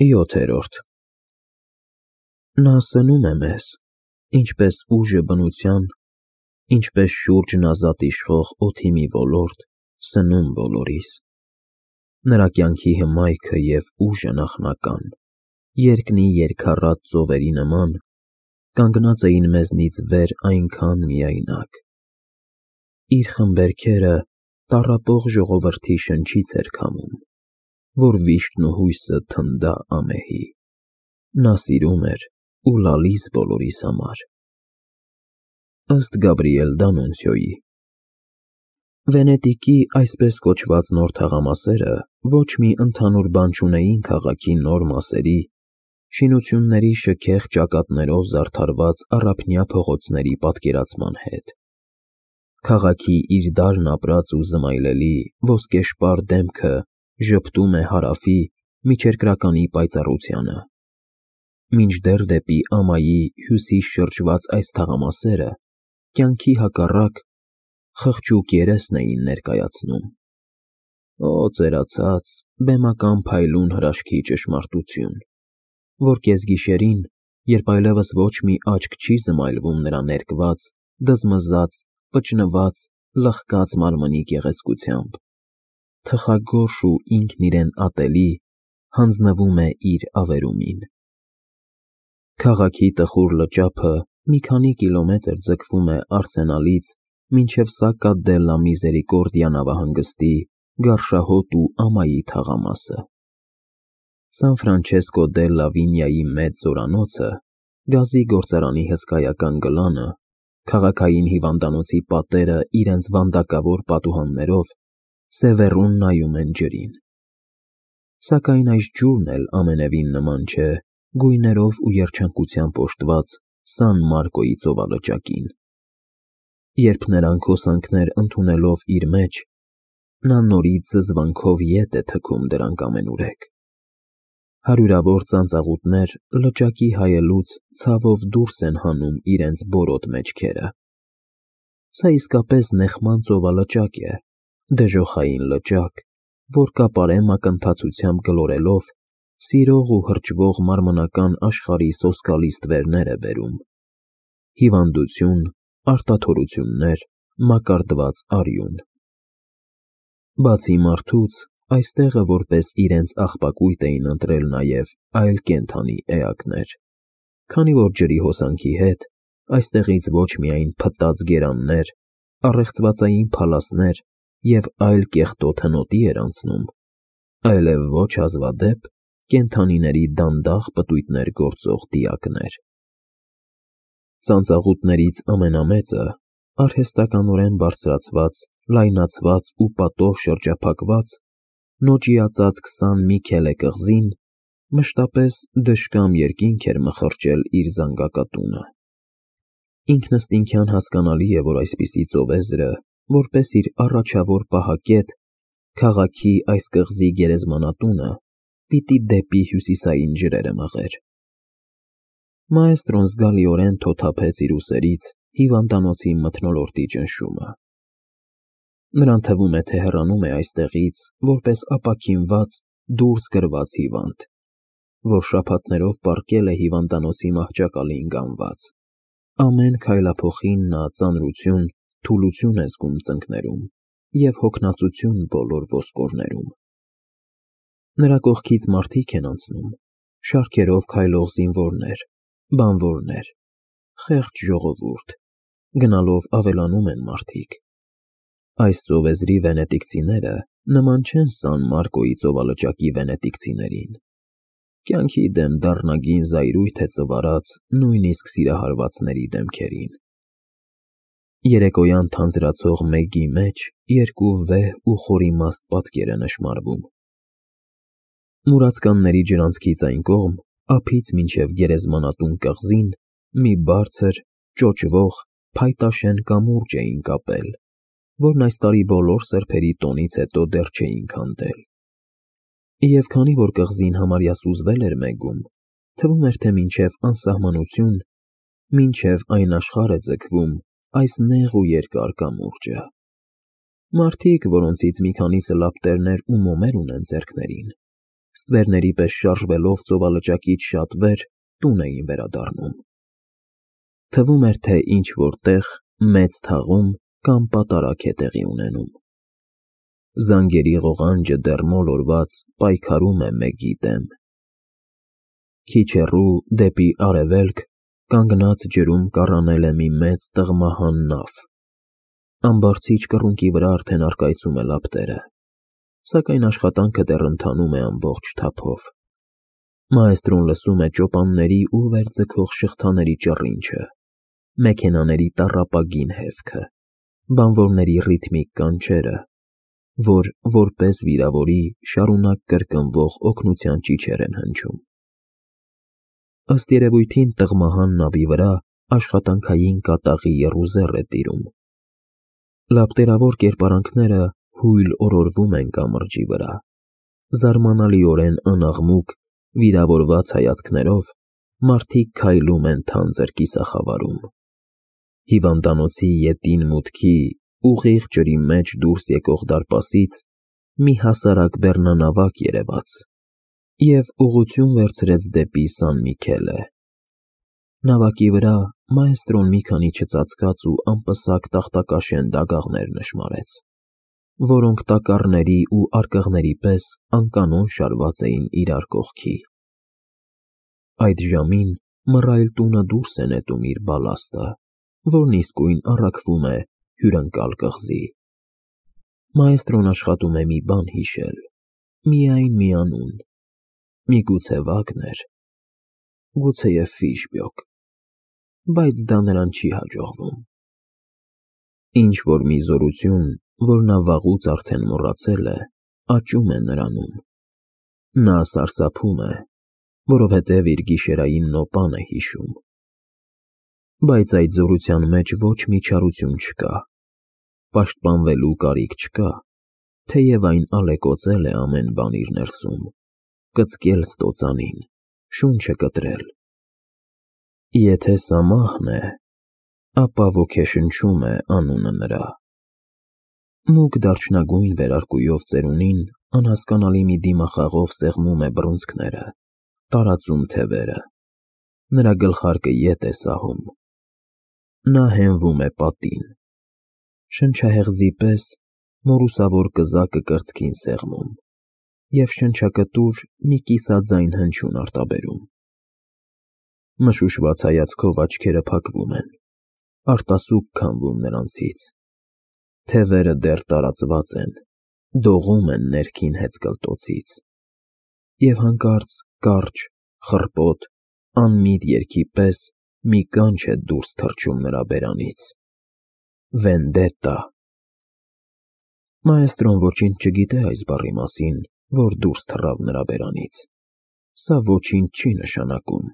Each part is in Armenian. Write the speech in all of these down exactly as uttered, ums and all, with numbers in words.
յոթերորդ Նա սնում է մեզ, ինչպես ուժը բնության, ինչպես շուրջն ազատ իշխող օդի մի ոլորտ, սնում բոլորիս. նրա կյանքի հմայքը և ուժը նախնական, երկնի երգառատ ծովերի նման, կանգնած էին մեզնից վեր այնքան միայնակ: Իր խմբերգերը տառապող ժողովրդի շնչից էր քամում, որ վիշտն ու հույսը թնդա ամեհի: Նա սիրում էր ու լալիս բոլորիս համար: Ըստ Գաբրիել Դանունցիոյի Վենետիկի այսպես կոչված նոր թաղամասերը ոչ մի ընդհանուր բան չունեին քաղաքի նոր մասերի, շինությունների շքեղ ճակատներով զարդարված առափնյա փողոցների պատկերացման հետ: Քաղաքի իր դարն ապրած ու զմայլելի, ոսկեշպար դեմքը ժպտում է հարավի, միջերկրականի պայծառությանը: Մինչդեռ դեպի ամայի հյուսիս շրջված այս թաղամասերը կյանքի հակառակ, խղճուկ երեսն էին ներկայացնում: Օ ծերացած, բեմական փայլուն հրաշքի ճշմարտություն, որ կեսգիշերին, երբ այլևս ոչ մի աչք չի զմայլվում նրա ներկված, դզմզած, պճնված, լխկած մարմնի գեղեցկությամբ, թխագորշ ու ինքն իրեն ատելի, հանձնվում է իր ավերումին: Քաղաքի տխուր լճափը մի քանի կիլոմետր ձգվում է Արսենալից մինչև Սակկա դելլա Միզերիկորդիա նավահանգստի, Գարշահոտ ու ամայի թաղամասը: Սան Ֆրանչեսկո դելլա Վինյայի մեծ զորանոցը, գազի գործարանի հսկայական գլանը, քաղաքային հիվանդանոցի պատերը իրենց վանդակավոր պատուհաններով սևեռուն նայում են ջրին: Սակայն այս ջուրն էլ ամենևին նման չէ գույներով ու երջանկությամբ օժտված Սան Մարկոյի ծովալճակին: Երբ նրանք հոսանքներ ընդունելով իր մեջ, նա նորից զզվանքով ետ է թքում դրանք ամենուրեք: Հարյուրավոր ծանծաղուտներ լճակի հայելուց ցավով դուրս են հանում իրենց բորոտ մեջքերը: Սա իսկապես նեխման ծովալճակ է, դժոխային լճակ, որ կապարե մակընթացությամբ գլորելով, սիրող ու հրճվող մարմնական աշխարհի սոսկալի ստվերներ է բերում: Հիվանդություն, արտաթորություններ, մակարդված արյուն: Բացի մարդուց, այստեղը որպես իրենց աղբակույտ էին ընտրել նաև այլ կենդանի էակներ, քանի որ ջրի հոսանքի հետ այստեղից ոչ միայն փտած գերաններ, առեղծվածային փալասներ և այլ կեղտոտ հնոտի էր անցնում, այլև ոչ հազվադեպ կենդանիների դանդաղ պտույտներ գործող դիակներ: Ծանծաղուտներից ամենամեծը, արհեստականորեն բարձրացված, լայնացված ու պատով շրջափակված, նոճիածած քսան Միքելե կղզին, մշտապես դժկամ երկինք էր մխրճել իր զանգակատունը: Ինքնըստինքյան հասկանալի է, որ այսպիսի ծովեզրը, որպես իր առաջավոր պահակետ, քաղաքի այս կղզի գերեզմանատունը, պիտի դեպի հյուսիսային ջրերը մղեր: Մաեստրոն զգալիորեն թոթափեց իր ուսերից հիվանդանոցի մթնոլորտի ճնշումը: Նրան թվում է, թե հեռանում է այստեղից որպես ապաքինված, դուրս գրված հիվանդ, որ շաբաթներով պառկել է հիվանդանոցի մահճակալին գանված: Ամեն քայլափոխին նա ծանրություն, թուլություն է զգում ծնկներում և հոգնածություն բոլոր ոսկորներում: Նրա կողքից մարդիկ են անցնում, շարքերով քայլող զինվորներ, բանվորներ, խեղճ ժողովուրդ, գնալով ավելանում են մարդիկ: Այս ծովեզրի վենետիկցիները նման չեն Սան Մարկոյի ծովալճակի վենետիկցիներին: Կյանքի դեմ դառնագին զայրույթ է ծվարած նույնիսկ սիրահարվածների դեմքերին: Երեկոյան թանձրացող մեգի մեջ երկու վեհ ու խորիմաստ պատկեր է նշմարվում: Մուրացկանների ջրանցքից այն կողմ, ափից մինչև գերեզմանատուն կղզին, մի բարձր, ճոճվող, փայտաշեն կամուրջ էին կապել, որն այս տարի բոլոր սրբերի տոնից հետո դեռ չէին քանդել: Եվ քանի որ կղզին համարյա սուզվել էր մեգում, թվում էր, թե մինչև անսահմանություն, մինչև այն աշխարհ է ձգվում այս նեղ ու երկար կամուրջը: Մարդիկ, որոնցից մի քանիսը լապտերներ ու մոմեր ունեն ձեռքներին, ստվերների պես շարժվելով ծովալճակից շատ վեր, տուն էին վերադառնում։ Թվում էր, թե ինչ-որ տեղ, մեծ թաղում կամ պատարագ է տեղի ունենում։ Զանգերի ղողանջը դեռ մոլորված պայքարում է մեկի դեմ։ Քիչ հեռու, դեպի արևելք, կանգնած ջրում կառանել է մի մեծ տղմահան նավ։ Ամբարձիչ կռունկի վրա արդեն առկայծում է լապտերը, սակայն աշխատանքը դեռ ընթանում է ամբողջ թափով։ Մաեստրոն լսում է ճոպանների ու վերձգող շղթաների ճռինչը, մեքենաների տառապագին հևքը, բանվորների ռիթմիկ կանչերը, որ որպես վիրավորի շարունակ կրկնվող օգնության ճիչեր են հնչում։ Ըստ երևույթին տղմահան նավի վրա աշխատանքային կատաղի եռուզեռ է տիրում։ Լապտերավոր կերպարանքները հույլ օրորվում են կամրջի վրա, զարմանալիորեն անաղմուկ, վիրավորված հայացքներով մարդիկ քայլում են թանձր կիսախավարում։ Հիվանդանոցի ետին մուտքի ուղիղ ջրի մեջ դուրս եկող դարպասից մի հասարակ բեռնանավակ երևաց և ուղղություն վերցրեց դեպի Սան Միքելե։ Նավակի վրա մաեստրոն մի քանի չծածկած ու անպսակ տախտակաշեն դագաղներ նշմարեց, որոնք տակառների ու արկղների պես անկանոն շարված էին իրար կողքի։ Այդ ժամին մռայլ տունը դուրս է նետում իր բալաստը, որն իսկույն առաքվում է հյուրընկալ կղզի։ Մաեստրոն աշխատում է մի բան հիշել, միայն մի անուն, միգուցե Վագներ, գուցեև Ֆիշբյոկ, բայց դա նրան չի հաջողվում։ Ինչ-որ մի զորություն, որ նա վաղուց արդեն մոռացել է, աճում է նրանում։ Նա սարսափում է, որովհետև իր գիշերային նոպան է հիշում։ Բայց այդ զորության մեջ ոչ մի չարություն չկա, պաշտպանվելու կարիք չկա, թեև այն ալեկոծել է ամեն բան իր ներսում, կծկել ստոծանին, շունչը կտրել։ Եթե սա մահն է, ապա ոգեշնչում է անունը նրա։ Մուգ դարչնագույն վերարկուով ծերունին անհասկանալի մի դիմախաղով սեղմում է բռունցքները, տարածում թևերը, նրա գլխարկը ետ է սահում։ Նա հենվում է պատին, շնչահեղձի պես մորուսավոր կզակը կրծքին սեղմում և շնչակտուր մի կիսաձայն հնչյուն արտաբերում։ Մշուշված հայացքով աչքերը փակվում են, արտասուք քամվում նրանցից, թևերը դեռ տարածված են, դողում են ներքին հեծկլտոցից, և հանկարծ կարճ, խռպոտ, անմիտ երգի պես մի կանչ է դուրս թռչում նրա բերանից. Վենդետա։ Մաեստրոն ոչինչ չգիտե այս բառի մասին, որ դուրս թռավ նրա բերանից։ Սա ոչինչ չի նշանակում։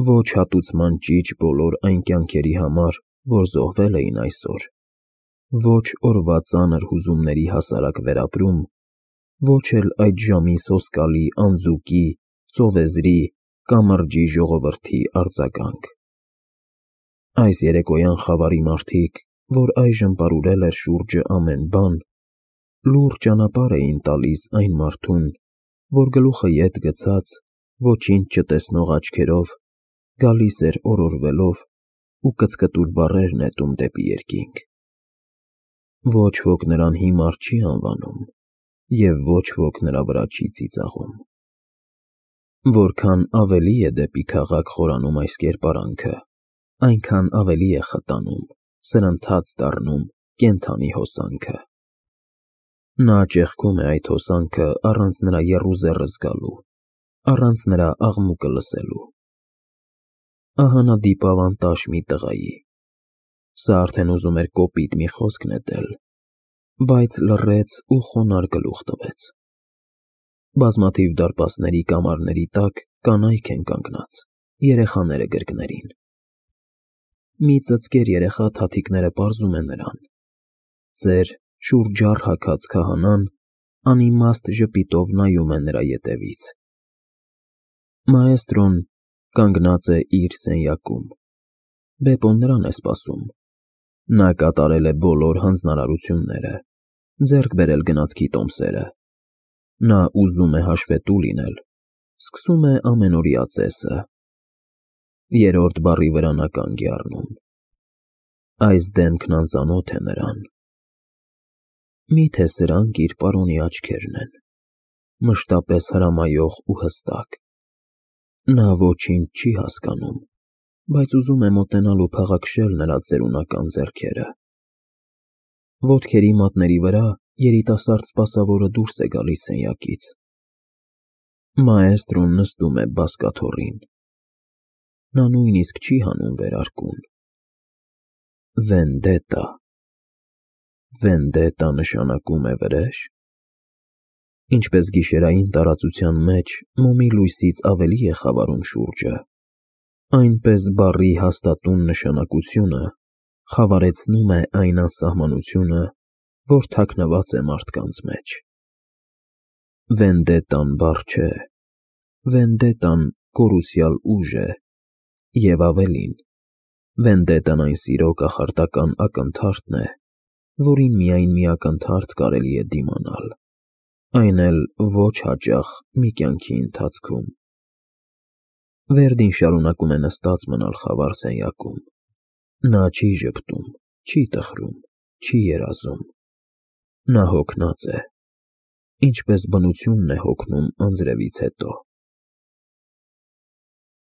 Ոչ հատուցման ճիչ բոլոր այն կյանքերի համար, որ զոհվել էին այսօր, ոչ օրվա ծանր հուզումների հասարակ վերապրում, ոչ էլ այդ ժամի սոսկալի անձուկի, ծովեզրի, կամրջի ժողովրդի արձագանք։ Այս երեկոյան խավարի մարդիկ, որ այժմ պարուրել էր շուրջը ամեն բան, լուռ ճանապարհ էին տալիս այն մարդուն, որ գլուխը ետ գցած, ոչինչ չտեսնող աչքերով, գալիս էր օրորվելով ու կծկտուր բառեր նետում դեպի երկինք։ Ոչ ոք նրան հիմար չի անվանում և ոչ ոք նրա վրա չի ծիծաղում։ Որքան ավելի է դեպի քաղաք խորանում այս կերպարանքը, այնքան ավելի է խտանում, սրընթաց դառնում կենդանի հոսանքը։ Նա ճեղքում է այդ հոսանքը առանց նրա եռուզեռը զգալու, առանց նրա աղմուկը լսելու։ Ահա նա դիպավ անտաշ մի տղայի։ Սա արդեն ուզում էր կոպիտ մի խոսք նետել, բայց լռեց ու խոնարհ գլուխ տվեց։ Բազմաթիվ դարպասների կամարների տակ կանայք են կանգնած, երեխաները գրկներին։ Մի ծծկեր երեխա թաթիկները պարզում է նրան։ Ծեր, շուրջառ հագած քահանան անիմաստ ժպիտով նայում է նրա ետևից։ Մաեստրոն կանգնած է իր սենյակում։ Բեպոն նրան է սպասում։ Նա կատարել է բոլոր հանձնարարությունները, ձեռք բերել գնացքի տոմսերը, Նա ուզում է հաշվետու լինել, սկսում է ամենօրյա ծեսը։ Երրորդ բառի վրա նա կանգ է առնում։ Այս դեմքն անծանոթ է նրան։ Միթե սրանք իր պարոնի աչքերն են, մշտապես հրամայող ու հստակ։ Նա ոչինչ չի հասկանում, բայց ուզում է մոտենալ ու փաղաքշել նրա ծերունական ձեռքերը։ Ոտքերի մատների վրա երիտասարդ սպասավորը դուրս է գալիս սենյակից։ Մաէստրոն նստում է բազկաթոռին։ Նա նույնիսկ չի հանում վերարկուն։ Վենդետա։ Վենդետա նշանակում է վրե՞ժ։ Ինչպես գիշերային տարածության մեջ մոմի լույսից ավելի է խավարում շուրջը, այնպես բառի հաստատուն նշանակությունը խավարեցնում է այն անսահմանությունը, որ թաքնված է մարդկանց մեջ։ Վենդետան բառ չէ, վենդետան կորուսյալ ուժ է, և ավելին, վենդետան այն սիրո կախարդական ակնթարթն է, որին միայն մի ակնթարթ կարելի է դիմանալ, այն էլ ոչ հաճախ մի կյանքի ընթացքում։ Վերդին շարունակում է նստած մնալ խավար սենյակում։ Նա չի ժպտում, չի տխրում, չի երազում։ Նա հոգնած է, ինչպես բնությունն է հոգնում անձրևից հետո։